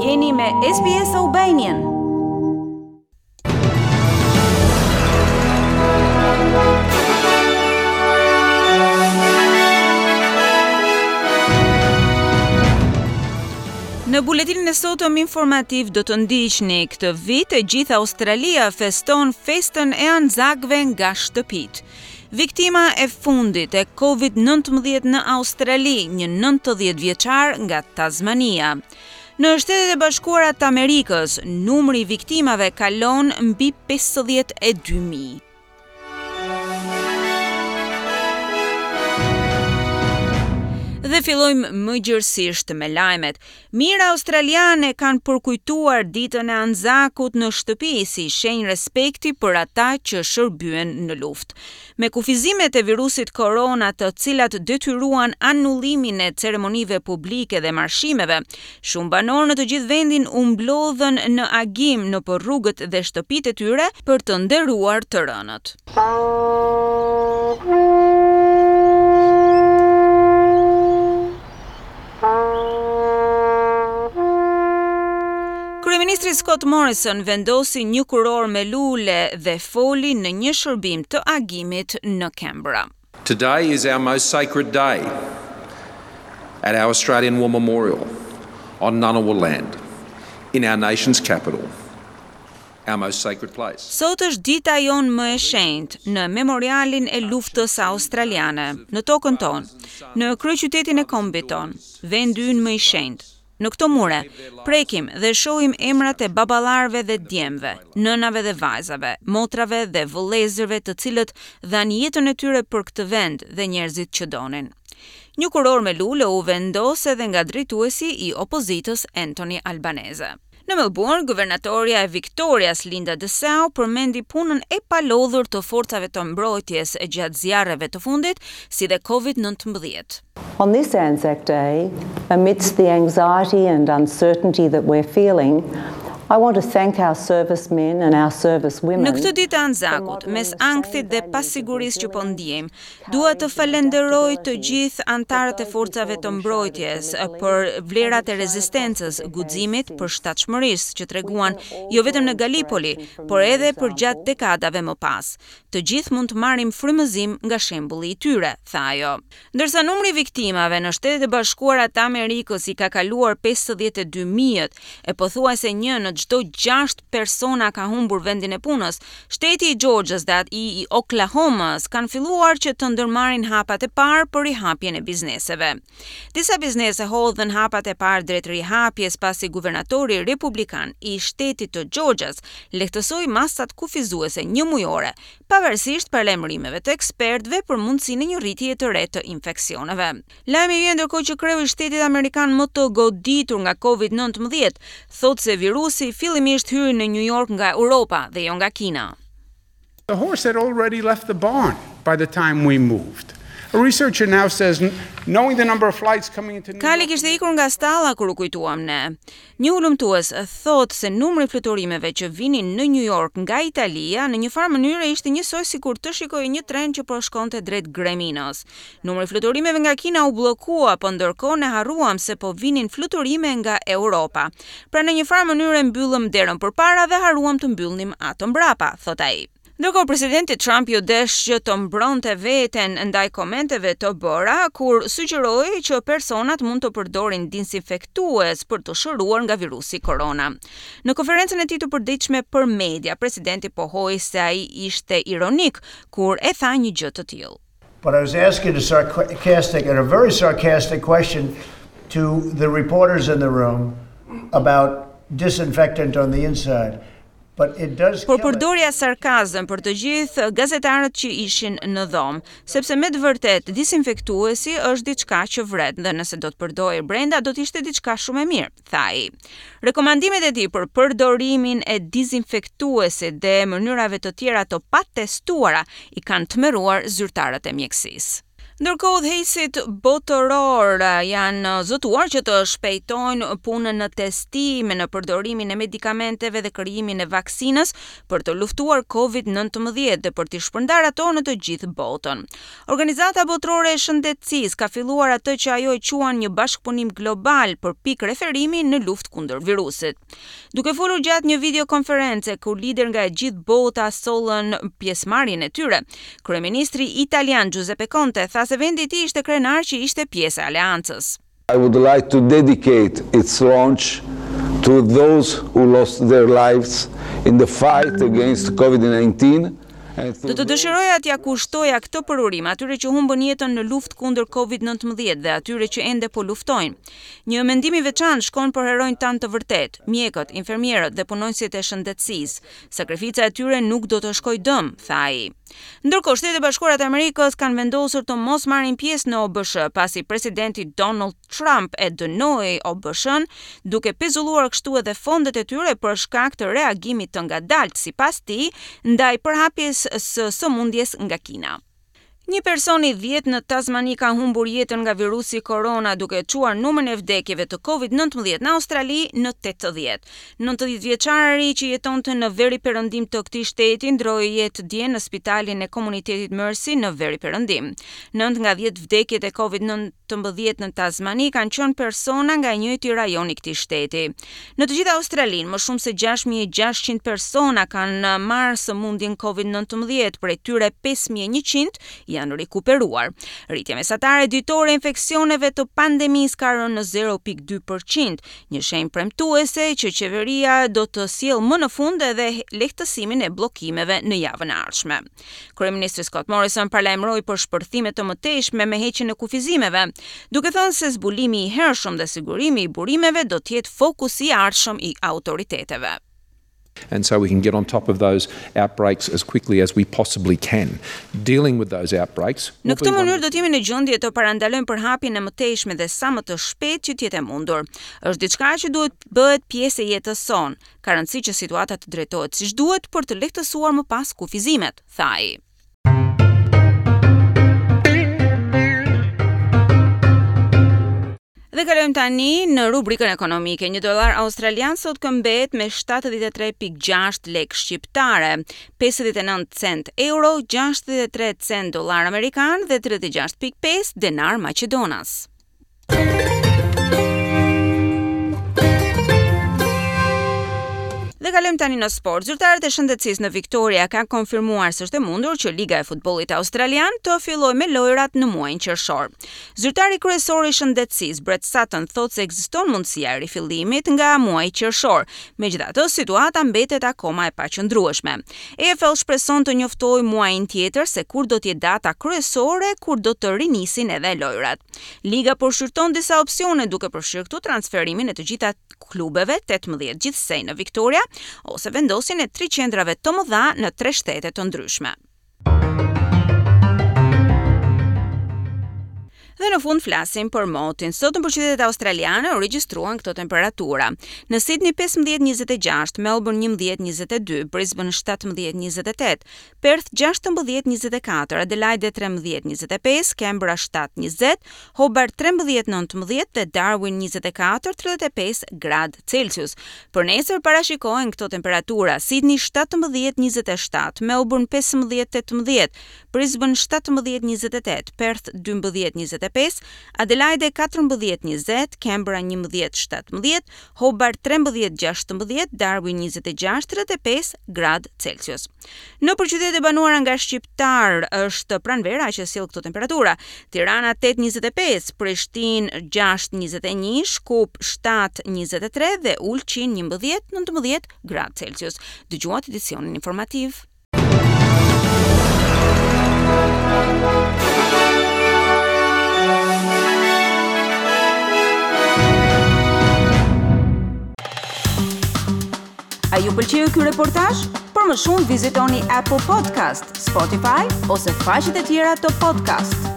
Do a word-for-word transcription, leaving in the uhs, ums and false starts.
Jeni me S B S Albanian. Në buletinin e sotëm informativ do të ndiqni: këtë vit e gjithë Australia feston festën e Anzakëve nga shtëpit. Viktima e fundit e Covid nëntëmbëdhjetë në Australi, një nëntëdhjetë vjeçar nga Tasmania. Në Shtetet e Bashkuara të Amerikës, numri i viktimave kalon mbi pesëdhjetë e dy mijë. Dhe fillojmë më gjërësisht me lajmet. Mijëra australiane kanë përkujtuar ditën e Anzakut në shtëpi si shenjë respekti për ata që shërbyen në luftë. Me kufizimet e virusit korona, të cilat detyruan anullimin e ceremonive publike dhe marshimeve, shumë banorë në të gjithë vendin u mblodhën në agim nëpër rrugët dhe shtëpitë e tyre për të nderuar të rënët. Kryeministri Scott Morrison vendosi një kurorë me lule dhe foli në një shërbim të agimit në Canberra. Today is our most sacred day at our Australian War Memorial on Ngunnawal land, in our nation's capital, our most sacred place. Sot është dita jonë më e shenjtë në memorialin e luftës australiane, në tokën tonë, në kryeqytetin e kombit tonë, vendi ynë më i shenjtë. Në këto mure, prekim dhe shohim emrat e baballarëve dhe djemve, nënave dhe vajzave, motrave dhe vëllezërve, të cilët dhanë jetën e tyre për këtë vend dhe njerëzit që donin. Një kurorë me lule u vendos edhe nga drejtuesi i opozitës Anthony Albanese. Në Melbourne, guvernatoria e Victorias Linda Dessau përmendi punën e palodhur të forcave të mbrojtjes gjatë zjarreve të fundit, si dhe Covid nëntëmbëdhjetë. On this Anzac Day, amidst the anxiety and uncertainty that we're feeling, I want to thank our servicemen and our servicewomen. Në këtë ditë të Anzakut, mes ankthit dhe pasigurisë që po ndjejmë, dua të falenderoj të gjithë anëtarët e forcave të mbrojtjes për vlerat e rezistencës, guximit, përshtatshmërisë që treguan jo vetëm në Gallipoli, por edhe përgjatë dekadave më pas. Të gjithë mund të marrim frymëzim nga shembulli i tyre, tha ajo. Ndërsa numri i viktimave në Shtetet e Bashkuara të Amerikës i ka kaluar pesëdhjetë e dy mijë e pothuajse një në çdo gjashtë persona ka humbur vendin e punës, shteti i Georgias dhe ai i Oklahoma-s kanë filluar që të ndërmarrin hapat e parë për rihapjen e bizneseve. Disa biznese hodhën hapat e parë drejt rihapjes pasi guvernatori republikan i shtetit të Georgias lehtësoi masat kufizuese një mujore, pavarësisht paralajmërimeve të ekspertëve për mundësinë e një rritje të re të infeksioneve. Lajmi vjen ndërkohë që kreu i shtetit amerikan më të goditur nga Covid nëntëmbëdhjetë thotë se virusi fillimisht hyri në New York nga Europa dhe jo nga Kina. The horse had already left the barn by the time we moved. A researcher now says, knowing the number of flights coming into New Kali kishte ikur nga stalla kur u kujtuam ne. Një hulumtues thotë se numri i fluturimeve që vinin në New York nga Italia në një farë mënyre ishte njësoj sikur të shikoje një tren që po shkonte drejt greminës. Numri i fluturimeve nga Kina u bllokua, po ndërkohë ne harruam se po vinin fluturime nga Europa. Pra, në një farë mënyre mbyllëm derën përpara dhe harruam të mbyllnim atë mbrapa, thot ai. Ndërkohë, presidenti Trump ju desh që të mbronte veten ndaj komenteve të bëra kur sugjeroi që personat mund të përdorin disinfektues për të shëruar nga virusi korona. Në konferencën e tij të përditshme për media, presidenti pohoi se ai ishte ironik kur e tha një gjë të tillë. But I was asking a sarcastic and a very sarcastic question to the reporters in the room about disinfectant on the inside. But it does Por kill it. përdorja sarkazëm për të gjithë gazetarët që ishin në dhomë, sepse me të vërtetë disinfektuesi është diçka që vret dhe nëse do të përdorej brenda do të ishte diçka shumë e mirë, tha ai. Rekomandimet e tij për përdorimin e disinfektuesit dhe mënyrave të tjera të patestuara i kanë tmerruar zyrtarët e mjekësisë. Ndërkohë, udhëheqësit botëror janë zotuar që të shpejtojnë punën në testime, në përdorimin e medikamenteve dhe krijimin e vaksinës për të luftuar Covid nëntëmbëdhjetë dhe për t'i shpërndarë ato në të gjithë botën. Organizata Botërore e Shëndetësisë ka filluar atë që ajo e quan një bashkëpunim global për pikë referimi në luftë kundër virusit. Duke folur gjatë një videokonference ku lider nga e gjithë bota sollën pjesëmarrjen e tyre, kryeministri italian Giuseppe Conte tha se vendi i tij ishte krenar që ishte pjesë e aleancës. I would like to dedicate its launch to those who lost their lives in the fight against COVID nineteen. Do të dëshiroja t'ja kushtoja këtë përurim atyre që humbën jetën në luftë kundër Covid nëntëmbëdhjetë dhe atyre që ende po luftojnë. Një mendim i veçantë shkon për heronjtë tanë të vërtetë, mjekët, infermierët dhe punonjësit e shëndetësisë. Sakrifica e tyre nuk do të shkojë dëm, tha ai. Ndërkohë, Shtetet e Bashkuara të Amerikës kanë vendosur të mos marrin pjesë në O B S H, pasi presidenti Donald Trump e dënoi O B S H-n, duke pezulluar kështu edhe fondet e tyre për shkak të reagimit të ngadaltë, sipas tij, ndaj përhapjes së sëmundjes nga Kina. Një person i dhjetë në Tasmani ka humbur jetën nga virusi korona, duke çuar numrin e vdekjeve të Covid nëntëmbëdhjetë në Australi në tetëdhjetë. Nëntëdhjetë vjeçari që jetonte në veri perëndim të këtij shteti ndroi jetë dje në spitalin e komunitetit Mercy në veri perëndim. Nëntë nga dhjetë vdekjet e Covid nëntëmbëdhjetë në Tasmani kanë qenë persona nga i njëjti rajon i këtij shteti. Në të gjithë Australinë, më shumë se gjashtë mijë e gjashtëqind persona kanë marrë sëmundjen Covid nëntëmbëdhjetë, prej tyre pesë mijë e njëqind janë rikuperuar. Rritja mesatare ditore e infeksioneve të pandemisë ka rënë në zero pikë dy për qind, një shenjë premtuese që qeveria do të sjellë më në fund edhe lehtësimin e bllokimeve në javën e ardhshme. Kryeministri Scott Morrison paralajmëroi për shpërthime të mëtejshme me heqjen e kufizimeve, duke thënë se zbulimi i hershëm dhe sigurimi i burimeve do të jetë fokusi i ardhshëm i autoriteteve. And so we can get on top of those outbreaks as quickly as we possibly can. Dealing with those outbreaks. Në këtë mënyrë do të jemi në gjendje të parandalojmë përhapjen e mëtejshme dhe sa më të shpejt që të jetë e mundur. Është diçka që duhet bëhet pjesë e jetës sonë. Ka rëndësi që situata të drejtohet siç duhet për të lehtësuar më pas kufizimet, tha ai. Dhe kalojmë tani në rubrikën ekonomike. Një dolar australian sot këmbet me shtatëdhjetë e tre pikë gjashtë lek shqiptare, pesëdhjetë e nëntë cent euro, gjashtëdhjetë e tre cent dolar amerikan dhe tridhjetë e gjashtë pikë pesë denar maqedonas. Dhe kalojmë tani në sport. Zyrtarët e shëndetësisë në Victoria kanë konfirmuar se është e mundur që Liga e Futbollit Australian të fillojë me lojrat në muajin qershor. Zyrtari kryesor i shëndetësisë, Brett Sutton, thotë se ekziston mundësia e rifillimit nga muaji qershor. Megjithatë, situata mbetet akoma e paqëndrueshme. A F L shpreson të njoftojë muajin tjetër se kur do të jetë data kryesore kur do të rinisin edhe lojrat. Liga po shqyrton disa opsione, duke përfshirë këtu transferimin e të gjitha klubeve, tetëmbëdhjetë gjithsej në Victoria, ose vendosjen e tri qendrave të mëdha në tre shtete të ndryshme. Dhe në fund flasim për motin. Sot në qytetet australiane u regjistruan këto temperatura. Në Sydney pesëmbëdhjetë njëzet e gjashtë, Melbourne njëmbëdhjetë njëzet e dy, Brisbane shtatëmbëdhjetë njëzet e tetë, Perth gjashtëmbëdhjetë njëzet e katër, Adelaide trembëdhjetë njëzet e pesë, Canberra shtatë njëzet, Hobart trembëdhjetë nëntëmbëdhjetë dhe Darwin njëzet e katër tridhjetë e pesë gradë Celsius. Për nesër parashikohen këto temperatura: Sydney shtatëmbëdhjetë njëzet e shtatë, Melbourne pesëmbëdhjetë tetëmbëdhjetë, Brisbane shtatëmbëdhjetë njëzet e tetë, Perth dymbëdhjetë njëzet e pesë, Adelaide katërmbëdhjetë njëzet, Canberra njëmbëdhjetë shtatëmbëdhjetë, Hobart trembëdhjetë gjashtëmbëdhjetë, Darwin njëzet e gjashtë tridhjetë e pesë gradë Celsius. Në qytetet e banuara nga shqiptar është pranvera që sjell këto temperatura. Tirana tetë njëzet e pesë, Prishtinë gjashtë njëzet e një, Shkup shtatë njëzet e tre dhe Ulqin njëmbëdhjetë nëntëmbëdhjetë gradë Celsius. Dëgjuat edicionin informativ. A ju pëlqeu ky reportazh? Për më shumë vizitoni Apple Podcast, Spotify ose faqet e tjera të podcast.